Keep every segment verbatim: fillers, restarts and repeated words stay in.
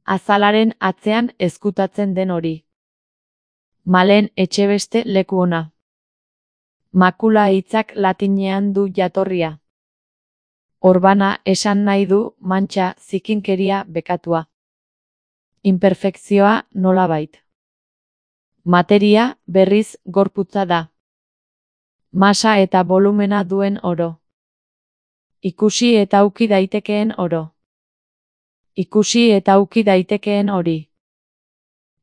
Azalaren atzean ezkutatzen den hori. Malen Etxebeste leku ona. Makula hitzak latinean du jatorria. Orbana esan nahi du mantxa, zikinkeria, bekatua. Imperfekzioa nolabait. Materia, berriz, gorputza da. Masa eta volumena duen oro. Ikusi eta uki daitekeen oro. Ikusi eta uki daitekeen hori.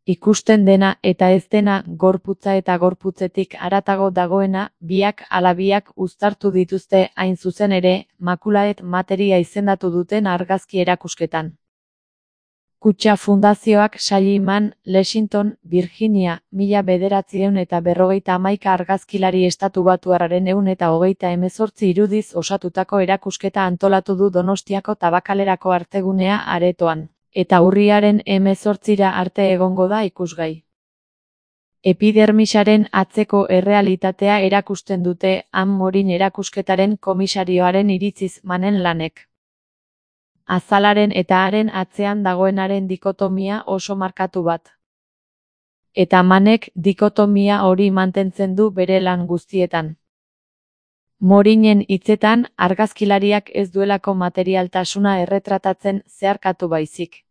Ikusten dena eta ez dena, gorputza eta gorputzetik haratago dagoena, biak ala biak uztartu dituzte hain zuzen ere, makulaet materia izendatu duten argazki erakusketan. Kutxa Fundazioak Salliman, Lexington, Virginia, mila bederatziehun eta berrogeita hamaika argazkilari estatubatuarraren ehun eta hogeita hemezortzi irudiz osatutako erakusketa antolatu du Donostiako Tabakalerako artegunea aretoan, eta urriaren hemezortzira arte egongo da ikusgai. Epidermisaren atzeko errealitatea erakusten dute Han Morin erakusketaren komisarioaren iritziz Manen lanek. Azalaren eta haren atzean dagoenaren dikotomia oso markatu bat. Eta Manek dikotomia hori mantentzen du bere lan guztietan. Morinen hitzetan, argazkilariak ez duelako materialtasuna erretratatzen zeharkatu baizik.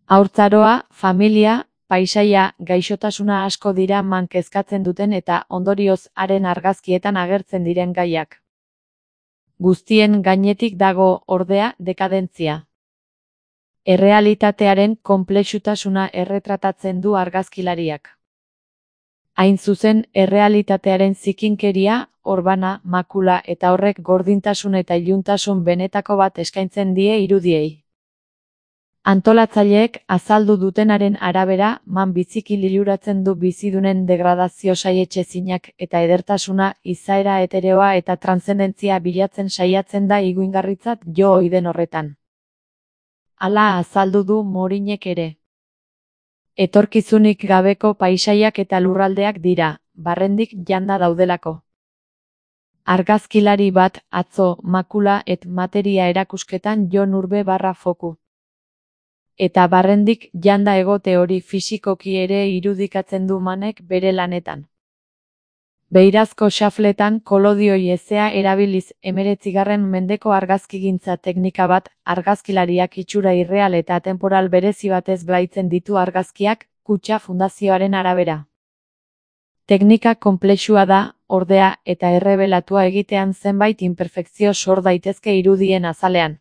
Haurtzaroa, familia, paisaia, gaixotasuna asko dira Man kezkatzen duten eta ondorioz haren argazkietan agertzen diren gaiak. Guztien gainetik dago, ordea, dekadentzia. Errealitatearen konplexutasuna erretratatzen du argazkilariak. Hain zuzen, errealitatearen zikinkeria, orbana, makula eta horrek gordintasun eta iluntasun benetako bat eskaintzen die irudiei. Antolatzaileek azaldu dutenaren arabera, Man biziki liluratzen du bizidunen degradazio saietsezinak eta edertasuna, izaera heteroa eta transzendentzia bilatzen saiatzen da iguingarritzat jo ohi den horretan. Hala azaldu du Morinek ere. Etorkizunik gabeko paisaiak eta lurraldeak dira, barrendik janda daudelako. Argazkilari bat, atzo, makula et materia erakusketan Jon Urbe barra foku. Eta barrendik janda egote hori fisikoki ere irudikatzen du Manek bere lanetan. Beirazko xafletan kolodioi ezea erabiliz hemeretzigarren mendeko argazkigintza teknika bat, argazkilariak itxura irreal eta temporal berezi batez blaitzen ditu argazkiak, Kutxa Fundazioaren arabera. Teknika konplexua da, ordea, eta errebelatua egitean zenbait inperfekzio sor daitezke irudien azalean.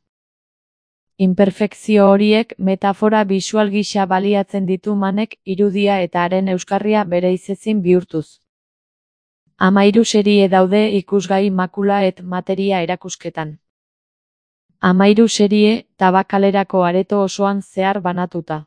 Inperfekzio horiek metafora bisual gisa baliatzen ditu Manek irudia eta haren euskarria bereizezin bihurtuz. Hamairu serie daude ikusgai makula et materia erakusketan. Hamairu serie, Tabakalerako areto osoan zehar banatuta.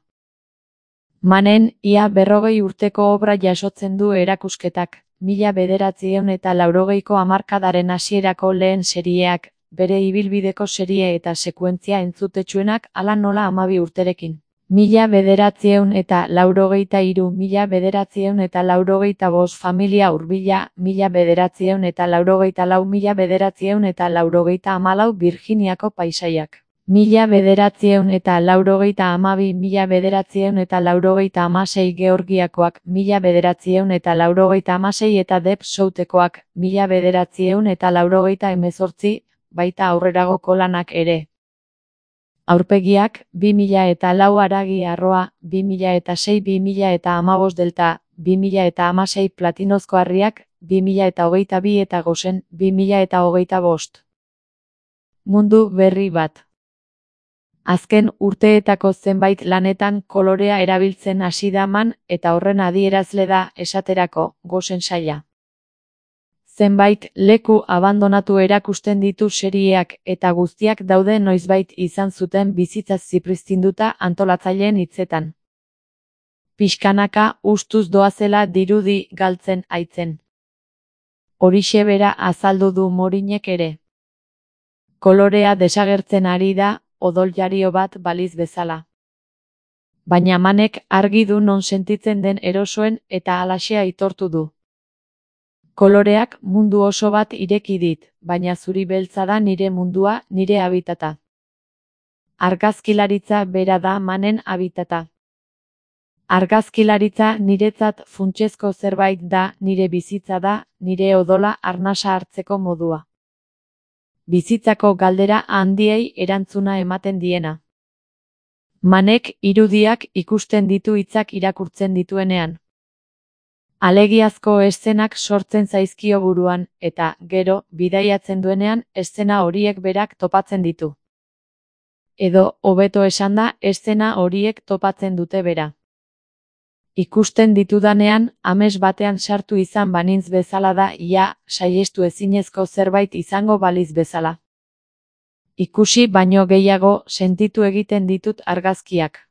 Manen, ia berrogei urteko obra jasotzen du erakusketak, mila bederatziehun eta laurogeiko hamarkadaren hasierako lehen serieak, bere ibilbideko serie eta sekuentzia entzutetsuenak hala nola hamabi urterekin. Mila bederatziehun eta laurogeita hiru, mila bederatziehun eta laurogeita bost familia hurbila, mila bederatziehun eta laurogeita lau, mila bederatziehun eta laurogeita hamalau Virginiako paisaiak. Mila bederatziehun eta laurogeita hamabi, mila bederatziehun eta laurogeita hamasei Georgiakoak, mila bederatziehun eta laurogeita hamasei eta Deep Southekoak, mila bederatziehun eta laurogeita hemezortzi, baita aurreragoko lanak ere. Aurpegiak, bi mila eta lau Haragi Arroa, bi mila eta sei bi mila eta hamabost Delta, bi mila eta hamasei Platinozko Harriak, bi mila eta hogeita bi eta Gosen, bi mila eta hogeita bost. Mundu berri bat. Azken urteetako zenbait lanetan kolorea erabiltzen hasi da Man eta horren adierazle da, esaterako, Gosen saila. Zenbait leku abandonatu erakusten ditu serieak eta guztiak daude noizbait izan zuten bizitza zipristinduta antolatzaileen hitzetan. Pixkanaka ustuz doazela dirudi galtzen aitzen. Horixe bera azaldu du Morinek ere. Kolorea desagertzen ari da, odoljario bat baliz bezala. Baina Manek argi du non sentitzen den erosoen eta halaxe aitortu du. Koloreak mundu oso bat ireki dit, baina zuri beltza da nire mundua, nire habitata. Argazkilaritza bera da manen habitata. Argazkilaritza niretzat funtsezko zerbait da, nire bizitza da, nire odola arnasa hartzeko modua. Bizitzako galdera handiei erantzuna ematen diena. Manek irudiak ikusten ditu hitzak irakurtzen dituenean. Alegiazko eszenak sortzen zaizkio buruan, eta, gero, bidaiatzen duenean, eszena horiek berak topatzen ditu. Edo, hobeto esanda, eszena horiek topatzen dute bera. Ikusten ditudanean, ames batean sartu izan banintz bezala da, ia, saihestu ezinezko zerbait izango baliz bezala. Ikusi baino gehiago sentitu egiten ditut argazkiak.